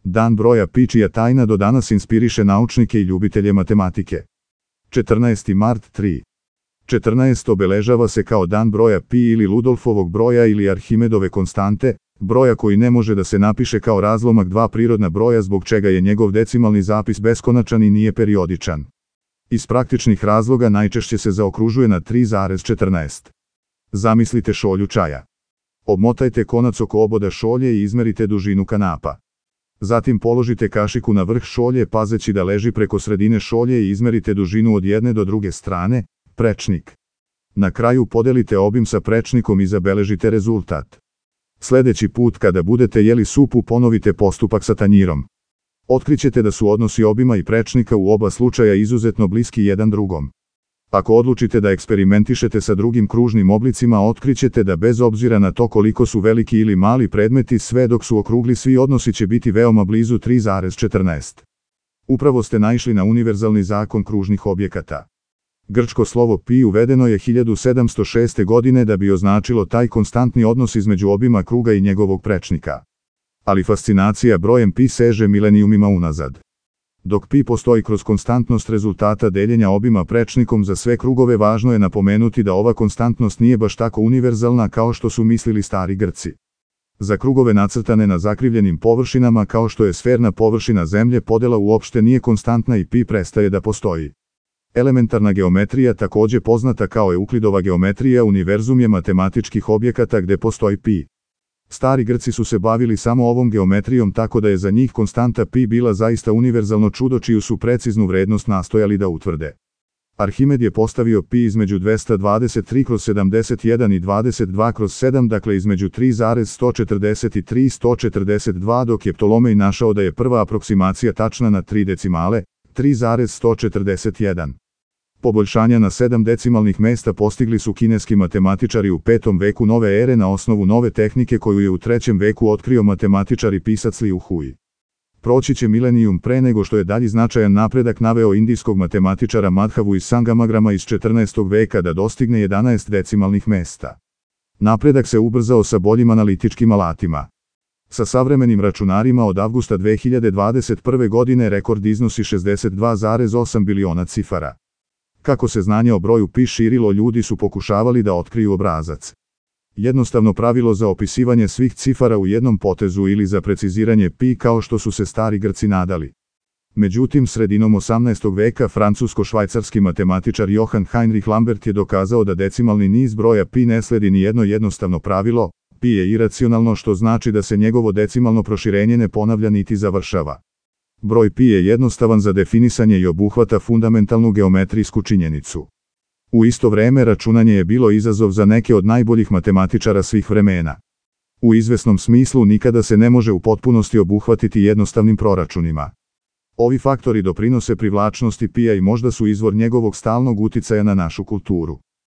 Dan broja pi čija tajna do danas inspiriše naučnike i ljubitelje matematike. 14. mart 3. 14 obeležava se kao dan broja pi ili Ludolfovog broja ili Arhimedove konstante, broja koji ne može da se napiše kao razlomak dva prirodna broja zbog čega je njegov decimalni zapis beskonačan i nije periodičan. Iz praktičnih razloga najčešće se zaokružuje na 3,14. Zamislite šolju čaja. Obmotajte konac oko oboda šolje i izmerite dužinu kanapa. Zatim položite kašiku na vrh šolje pazeći da leži preko sredine šolje i izmerite dužinu od jedne do druge strane, prečnik. Na kraju podelite obim sa prečnikom i zabeležite rezultat. Sljedeći put kada budete jeli supu ponovite postupak sa tanjirom. Otkrićete da su odnosi obima i prečnika u oba slučaja izuzetno bliski jedan drugom. Ako odlučite da eksperimentišete sa drugim kružnim oblicima, otkrićete da bez obzira na to koliko su veliki ili mali predmeti, sve dok su okrugli svi odnosi će biti veoma blizu 3,14. Upravo ste naišli na univerzalni zakon kružnih objekata. Grčko slovo pi uvedeno je 1706. godine da bi označilo taj konstantni odnos između obima kruga i njegovog prečnika. Ali fascinacija brojem pi seže milenijumima unazad. Dok pi postoji kroz konstantnost rezultata deljenja obima prečnikom za sve krugove, važno je napomenuti da ova konstantnost nije baš tako univerzalna kao što su mislili stari Grci. Za krugove nacrtane na zakrivljenim površinama kao što je sferna površina Zemlje, podela uopšte nije konstantna i pi prestaje da postoji. Elementarna geometrija, također poznata kao Euklidova geometrija, univerzum je matematičkih objekata gde postoji pi. Stari Grci su se bavili samo ovom geometrijom, tako da je za njih konstanta pi bila zaista univerzalno čudo čiju su preciznu vrednost nastojali da utvrde. Arhimed je postavio pi između 223/71 i 22/7, dakle između 3,143 i 142, dok je Ptolomej našao da je prva aproksimacija tačna na 3 decimale, 3,141. Poboljšanja na 7 decimalnih mesta postigli su kineski matematičari u 5. veku nove ere na osnovu nove tehnike koju je u 3. veku otkrio matematičar i pisac Liu Hui. Proći će milenijum pre nego što je dalji značajan napredak naveo indijskog matematičara Madhavu iz Sangamagrama iz 14. veka da dostigne 11 decimalnih mesta. Napredak se ubrzao sa boljim analitičkim alatima. Sa savremenim računarima od avgusta 2021. godine rekord iznosi 62,8 biliona cifara. Kako se znanje o broju pi širilo, ljudi su pokušavali da otkriju obrazac. Jednostavno pravilo za opisivanje svih cifara u jednom potezu ili za preciziranje pi kao što su se stari Grci nadali. Međutim, sredinom 18. veka francusko-švajcarski matematičar Johann Heinrich Lambert je dokazao da decimalni niz broja pi ne sledi ni jedno jednostavno pravilo, pi je iracionalno, što znači da se njegovo decimalno proširenje ne ponavlja niti završava. Broj pi je jednostavan za definisanje i obuhvata fundamentalnu geometrijsku činjenicu. U isto vreme računanje je bilo izazov za neke od najboljih matematičara svih vremena. U izvesnom smislu nikada se ne može u potpunosti obuhvatiti jednostavnim proračunima. Ovi faktori doprinose privlačnosti pija i možda su izvor njegovog stalnog uticaja na našu kulturu.